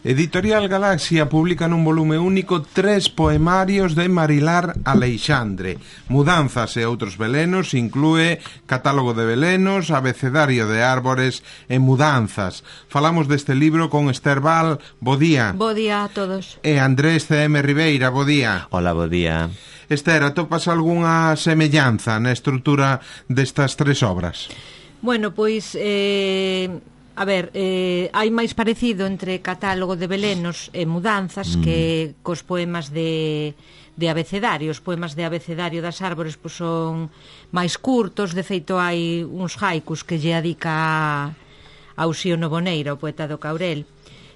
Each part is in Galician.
Editorial Galaxia publica nun volume único 3 poemarios de Marilar Aleixandre. Mudanzas e outros velenos, inclúe Catálogo de velenos, Abecedario de árbores e Mudanzas. Falamos deste libro con Esther Val. Bo día. Bo día a todos. E Andrés C.M. Ribeira. Bo día. Hola, bo día. Esther, atopas algunha semellanza na estrutura destas 3 obras? Bueno, pois... hai máis parecido entre Catálogo de velenos e Mudanzas que cos poemas de abecedario. Os poemas de abecedario das árbores pois son máis curtos. De feito, hai uns haikus que lle adica a Uxío Noboneira, o poeta do Caurel.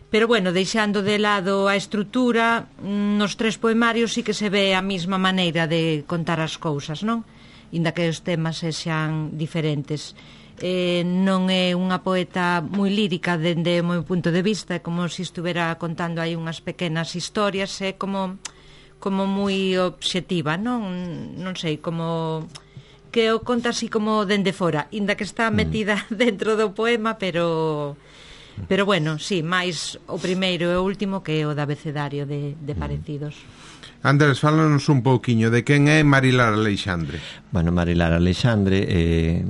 Pero, bueno, deixando de lado a estrutura, nos 3 poemarios sí que se ve a mesma maneira de contar as cousas, non? Inda que os temas sexan diferentes. Non é unha poeta moi lírica dende o meu punto de vista, é como se estuvera contando aí unhas pequenas historias, é como moi obxectiva, non sei, como que o conta así como dende fora, inda que está metida dentro do poema, pero bueno, sí, máis o primeiro e o último que o da abecedario de parecidos. Andrés, fálanos un pouquiño de quen é Marilar Aleixandre. Bueno, Marilar Aleixandre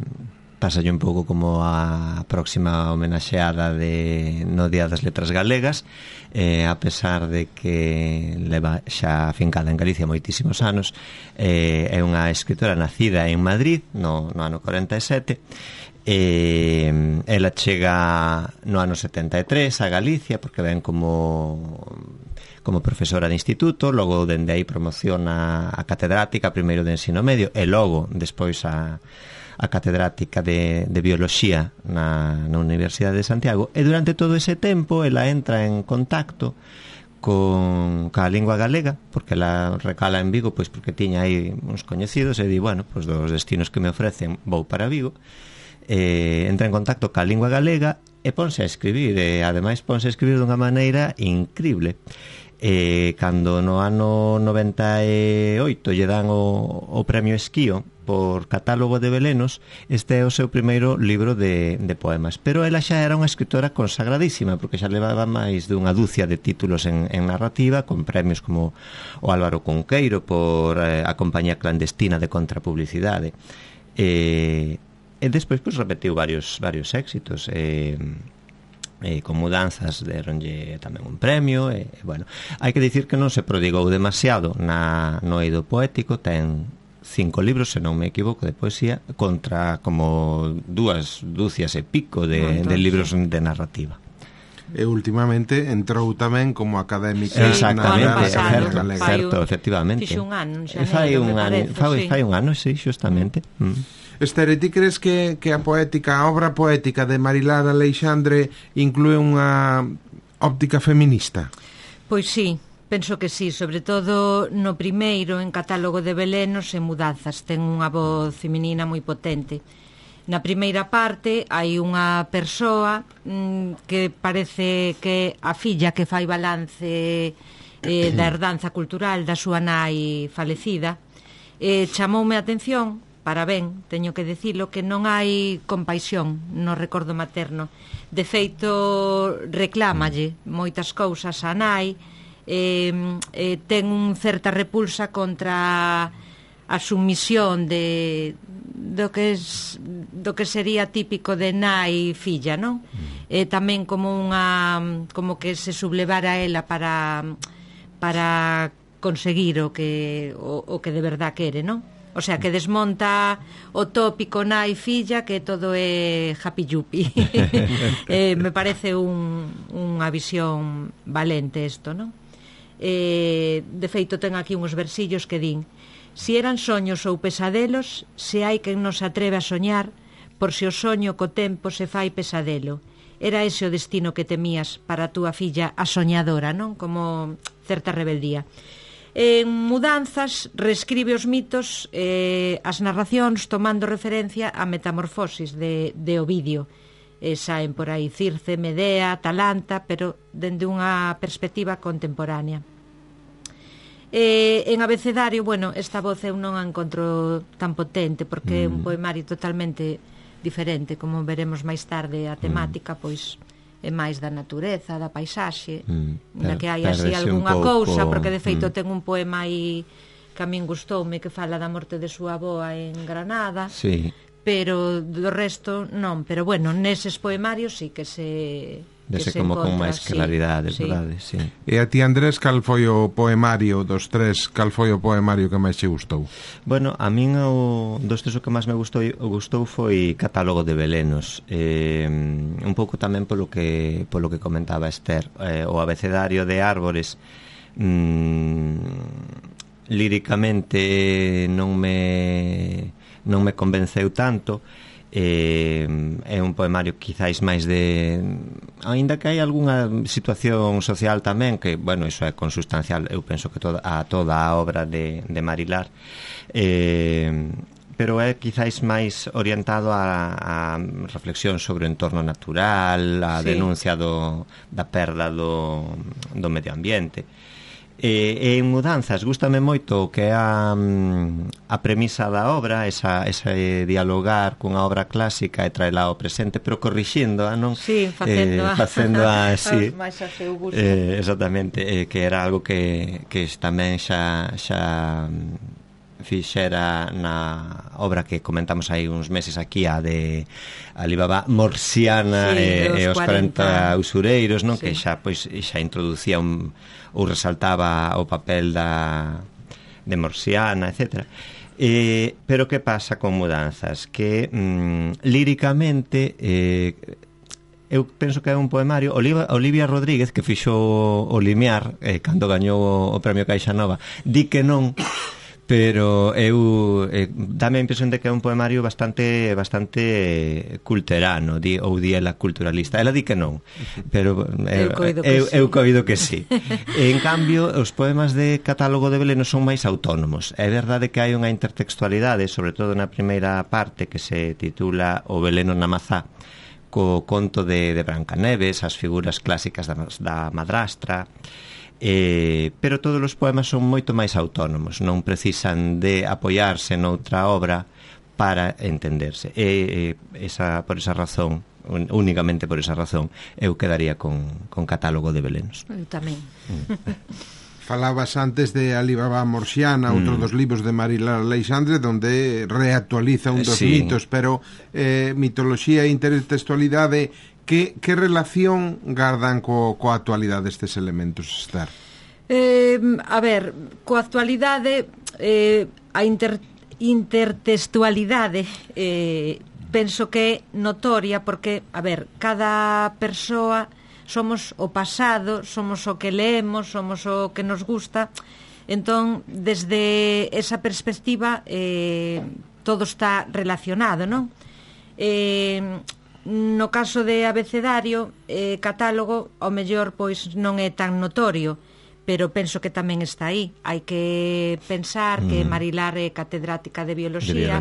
pásalle un pouco como a próxima homenaxeada no Día das Letras Galegas, a pesar de que leva xa afincada en Galicia moitísimos anos. É unha escritora nacida en Madrid no ano 47. Ela chega no ano 73 a Galicia porque ven como profesora de instituto, logo dende aí promociona a catedrática primeiro de ensino medio e logo despois a catedrática de bioloxía na Universidade de Santiago, e durante todo ese tempo ela entra en contacto ca lingua galega, porque ela recala en Vigo pois porque tiña aí uns coñecidos e di, bueno, pois dos destinos que me ofrecen vou para Vigo. Entra en contacto ca lingua galega e ponse a escribir, e ademais ponse a escribir dunha maneira increíble. Cando no ano 98 lle dan o premio Esquío por Catálogo de velenos, este é o seu primeiro libro de poemas, pero ela xa era unha escritora consagradísima porque xa levaba máis dunha dúcia de títulos en narrativa, con premios como o Álvaro Cunqueiro por a Compañía Clandestina de Contrapublicidade, e despois pois repetiu varios éxitos. Con Mudanzas deronlle tamén un premio, bueno, hai que dicir que non se prodigou demasiado no eido poético. Ten 5 libros, se non me equivoco, de poesía, contra como 2 dúcias e pico de libros de narrativa. E últimamente entrou tamén como académica. Exactamente, certo, efectivamente. Fixe un ano, fai un ano, sí, xustamente. Esther, ti crees que a obra poética de Marilar Aleixandre inclúe unha óptica feminista? Pois sí, penso que sí, sobre todo no primeiro, en Catálogo de velenos e Mudanzas, ten unha voz feminina moi potente. Na primeira parte hai unha persoa que parece que a filla que fai balance da herdanza cultural da súa nai falecida. Chamoume a atención, para ben, teño que dicilo, que non hai compaixón no recordo materno. De feito, reclámalle moitas cousas a nai, ten un certa repulsa contra a sumisión do que sería típico de nai filla, non? Tamén como que se sublevara ela para conseguir o que de verdad quere, non? O sea, que desmonta o tópico nai filla, que todo é happy-yuppie. Me parece unha visión valente isto, non? De feito, ten aquí uns versillos que din: si eran soños ou pesadelos, se hai quen nos atreve a soñar, por se o soño co tempo se fai pesadelo. Era ese o destino que temías para a túa filla a soñadora, non? Como certa rebeldía. En Mudanzas reescribe os mitos, as narracións tomando referencia a Metamorfosis de Ovidio. Saen por aí Circe, Medea, Atalanta, pero dende unha perspectiva contemporánea. En Abecedario, bueno, esta voz eu non a encontro tan potente porque é un poemario totalmente diferente, como veremos máis tarde. A temática pois é máis da natureza, da paisaxe, na que hai así perdese algunha un pouco, cousa, porque de feito ten un poema aí que a min gustoume, que fala da morte de súa avoa en Granada, Sí. pero do resto non, pero bueno, neses poemarios sí que se... Dese como con máis claridade, verdade, sí. E a ti, Andrés, cal foi o poemario dos tres, cal foi o poemario que máis che gustou? Bueno, a min dos tres o que máis me gustou foi Catálogo de Belenos, un pouco tamén polo que comentaba Esther, o abecedario de árbores, líricamente non me convenceu tanto. É un poemario quizáis máis de, aínda que hai algunha situación social tamén, que, bueno, iso é consustancial, eu penso que toda a obra de Marilar, pero é quizáis máis orientado a reflexión sobre o entorno natural, a denuncia da perda do medio ambiente. E en Mudanzas gústame moito o que é a premisa da obra, ese dialogar cunha obra clásica e traela ao presente, pero corrixindo, non? Sí, facendo sí, máis a seu gusto. Exactamente, que era algo que tamén xa fixera na obra que comentamos aí uns meses aquí, a de Alibaba Morsiana, e os 40 usureiros, non? Sí. Que xa introducía ou resaltaba o papel de Morsiana, etc. Pero que pasa con Mudanzas? Que líricamente eu penso que é un poemario. Olivia Rodríguez, que fixo o Limiar cando gañou o premio Caixa Nova, di que non, pero eu dame a impresión de que é un poemario bastante culterano, ou di ela culturalista. Ela di que non, pero eu coido que sí. En cambio, os poemas de Catálogo de Belenos son máis autónomos. É verdade que hai unha intertextualidade, sobre todo na primeira parte, que se titula O Beleno na Mazá, co conto de Brancaneves, as figuras clásicas da madrastra, pero todos os poemas son moito máis autónomos, non precisan de apoiarse noutra obra para entenderse. Por esa razón, únicamente por esa razón, eu quedaría con Catálogo de Belenos. Eu tamén. Falabas antes de Alibaba Morsiana, outro dos libros de Marilar Aleixandre, donde reactualiza un dos mitos, pero mitoloxía e intertextualidade, que relación gardan coa actualidade estes elementos, Esther? A ver, coa actualidade, a intertextualidade penso que é notoria, porque, a ver, cada persoa somos o pasado, somos o que leemos, somos o que nos gusta. Entón, desde esa perspectiva, todo está relacionado, non? No caso de abecedario, catálogo, ao mellor pois non é tan notorio, pero penso que tamén está aí. Hai que pensar que Marilar é catedrática de bioloxía,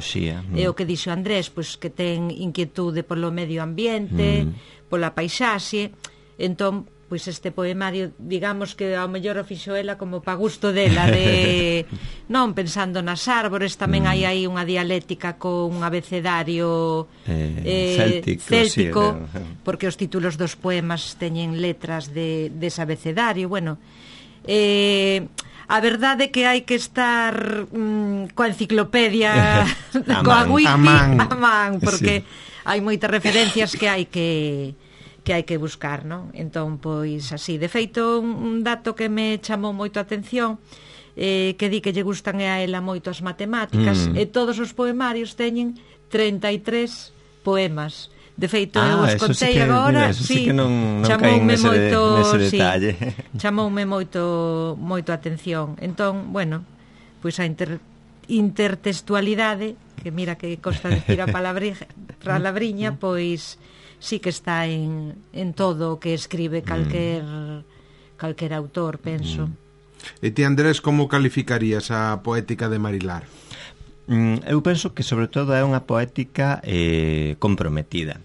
e o que dixo Andrés, pois que ten inquietude polo medio ambiente, pola paisaxe. Entón, pois este poemario, digamos que ao mellor o fixo ela como pa gusto dela, de non pensando nas árbores. Tamén hai aí unha dialéctica con un abecedario céltico, porque os títulos dos poemas teñen letras dese abecedario. Bueno, a verdade é que hai que estar coa enciclopedia, coa wiki a man, porque hai moitas referencias que hai que buscar, non? Entón, pois, así. De feito, un dato que me chamou moito a atención, que di que lle gustan a ela moito as matemáticas, e todos os poemarios teñen 33 poemas. De feito, eu os contei agora, sí, chamoume moito, detalle. Chamoume moito a atención. Entón, bueno, pois a intertextualidade, que mira que costa decir a palabriña, pois sí que está en todo o que escribe calquer autor, penso. E ti, Andrés, como calificarías a poética de Marilar? Eu penso que sobre todo é unha poética comprometida.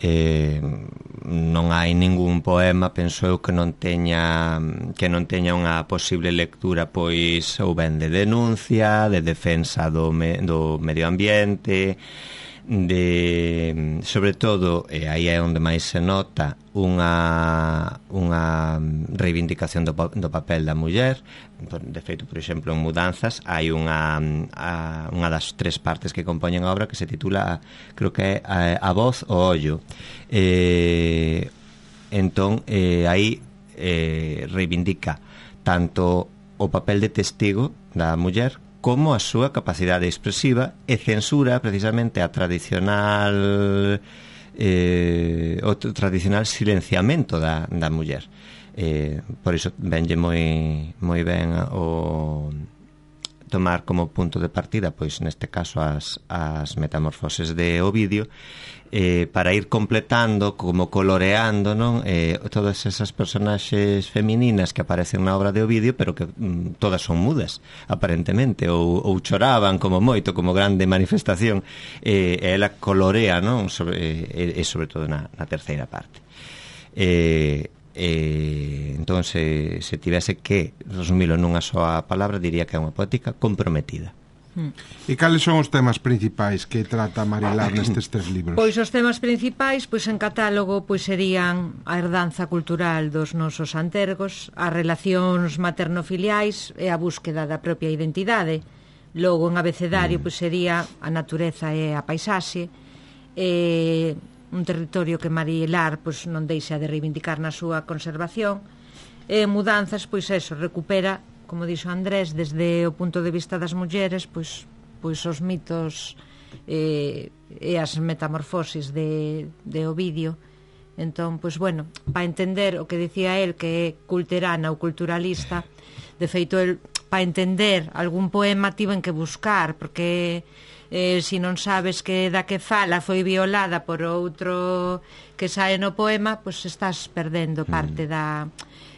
Non hai ningún poema, penso eu, que non teña unha posible lectura, pois ou ben de denuncia, de defensa do medio ambiente, sobre todo, aí é onde máis se nota unha reivindicación do papel da muller. De feito, por exemplo, en Mudanzas hai unha das 3 partes que compoñen a obra que se titula, creo que é A voz o ollo. Entón, aí reivindica tanto o papel de testigo da muller como a súa capacidade expresiva e censura precisamente o tradicional silenciamento da muller. Por iso venlle moi ben o tomar como punto de partida, pois neste caso as metamorfoses de Ovidio, para ir completando, como coloreando, non? Todas esas personaxes femininas que aparecen na obra de Ovidio, pero que todas son mudas, aparentemente, ou choraban como moito, como grande manifestación, e ela colorea, non? Sobre todo na terceira parte. Entón, se tivese que resumilo nunha soa palabra, diría que é unha poética comprometida. E cales son os temas principais que trata Marilar nestes 3 libros? Pois os temas principais, pois en catálogo, pois serían a herdanza cultural dos nosos antergos, as relacións materno-filiais e a búsqueda da propia identidade. Logo, en abecedario, pois sería a natureza e a paisaxe, un territorio que Marilar pois non deixa de reivindicar na súa conservación. E Mudanzas, pois eso, recupera, como dixo Andrés, desde o punto de vista das mulleres, pois os mitos e as metamorfosis de Ovidio. Entón, pois bueno, para entender o que dicía el, que é culterana ou culturalista, de feito, el, para entender algún poema tiven que buscar, porque se non sabes que da que fala foi violada por outro que sae no poema, pois estás perdendo parte da...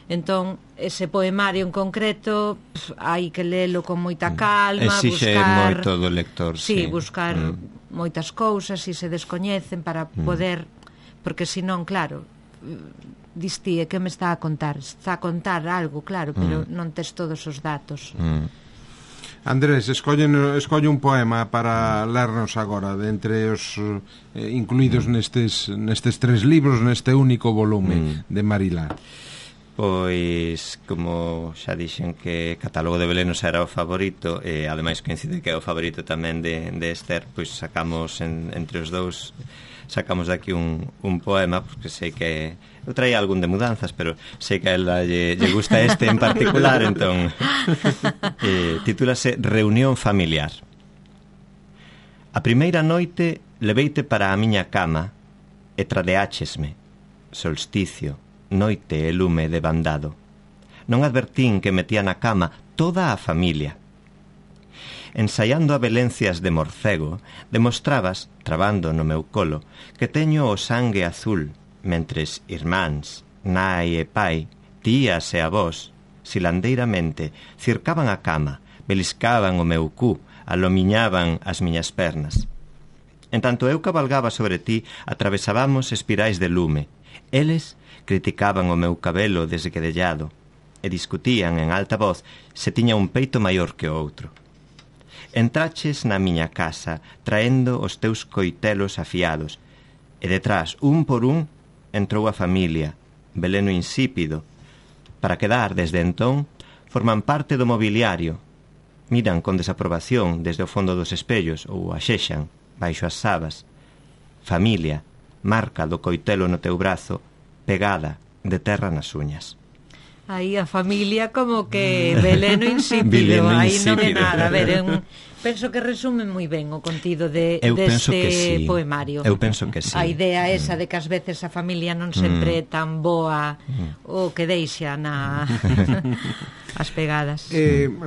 Entón, ese poemario en concreto hai que lelo con moita calma, exixe buscar moito do lector, sí. Buscar moitas cousas e se descoñecen para poder, porque senón, claro, distí, que me está a contar? Está a contar algo, claro, pero non tes todos os datos. Andrés, escolle un poema para lernos agora, de entre os incluídos nestes 3 libros, neste único volume de Marilar. Pois, como xa dixen que Catálogo de Belenos era o favorito, e ademais coincide que é o favorito tamén de Esther, pois sacamos entre os dous, sacamos daqui un poema, porque sei que eu traía algún de Mudanzas, pero sei que a ela lle gusta este en particular, entón titúlase Reunión familiar. A primeira noite leveite para a miña cama e tradeáchesme, solsticio, noite e lume de bandado. Non advertín que metía na cama toda a familia. Ensaiando a velencias de morcego, demostrabas, trabando no meu colo, que teño o sangue azul, mentres irmáns, nai e pai, tías e avós, silandeiramente, circaban a cama, beliscaban o meu cu, alomiñaban as miñas pernas. En tanto eu cabalgaba sobre ti, atravesábamos espirais de lume. Eles criticaban o meu cabelo desgredellado e discutían en alta voz se tiña un peito maior que o outro. Entraches na miña casa traendo os teus coitelos afiados e detrás, un por un, entrou a familia, veleno insípido. Para quedar desde entón, forman parte do mobiliario. Miran con desaprobación desde o fondo dos espellos ou axexan baixo as sabas. Familia, marca do coitelo no teu brazo, pegada de terra nas uñas. Aí a familia como que veleno insípido, aí non é nada. A ver, penso que resume moi ben o contido deste poemario. Eu penso que sí. A idea esa de que ás veces a familia non sempre é tan boa o que deixa as pegadas.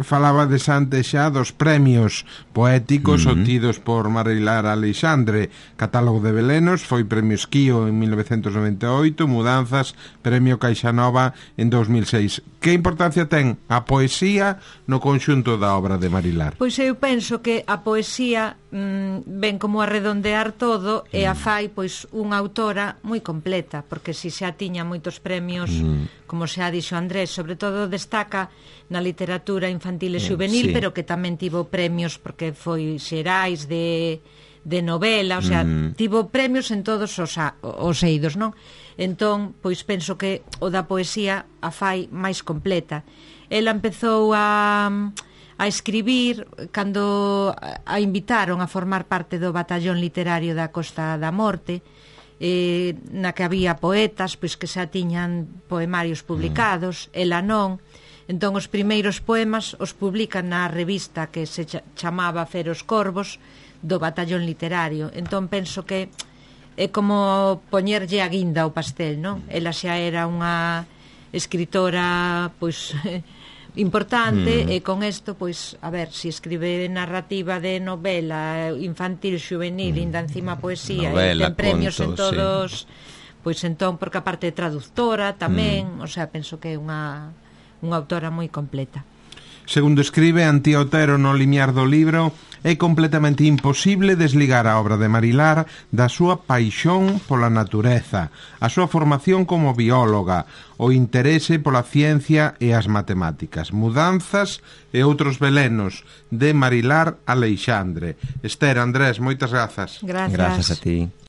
Falabades antes xa dos premios poéticos obtidos por Marilar Aleixandre. Catálogo de Belenos foi Premio Esquío en 1998, Mudanzas, Premio Caixanova en 2006. Que importancia ten a poesía no conxunto da obra de Marilar? Pois eu penso que a poesía ven como a redondear todo e a fai pois unha autora moi completa, porque si xa tiña moitos premios, como xa dixo Andrés, sobre todo destaca na literatura infantil e juvenil, sí, pero que tamén tivo premios porque foi xerais de novela, o sea, tivo premios en todos os eidos, non? Entón, pois penso que o da poesía a fai máis completa. Ela empezou a escribir cando a invitaron a formar parte do batallón literario da Costa da Morte, na que había poetas pois que xa tiñan poemarios publicados, ela non. Entón os primeiros poemas os publican na revista que se chamaba Feros Corvos do batallón literario. Entón penso que é como poñerlle a guinda ao pastel, non? Ela xa era unha escritora pois importante e con isto, pois, a ver, se escribe narrativa de novela infantil, juvenil, ainda encima poesía, novela, e ten premios conto, en todos, pois entón, porque aparte de traductora tamén, o sea, penso que é unha autora moi completa. Segundo escribe Antía Otero no limiar do libro, é completamente imposible desligar a obra de Marilar da súa paixón pola natureza, a súa formación como bióloga, o interese pola ciencia e as matemáticas, Mudanzas e outros velenos, de Marilar Aleixandre. Esther, Andrés, moitas grazas. Grazas. Grazas a ti.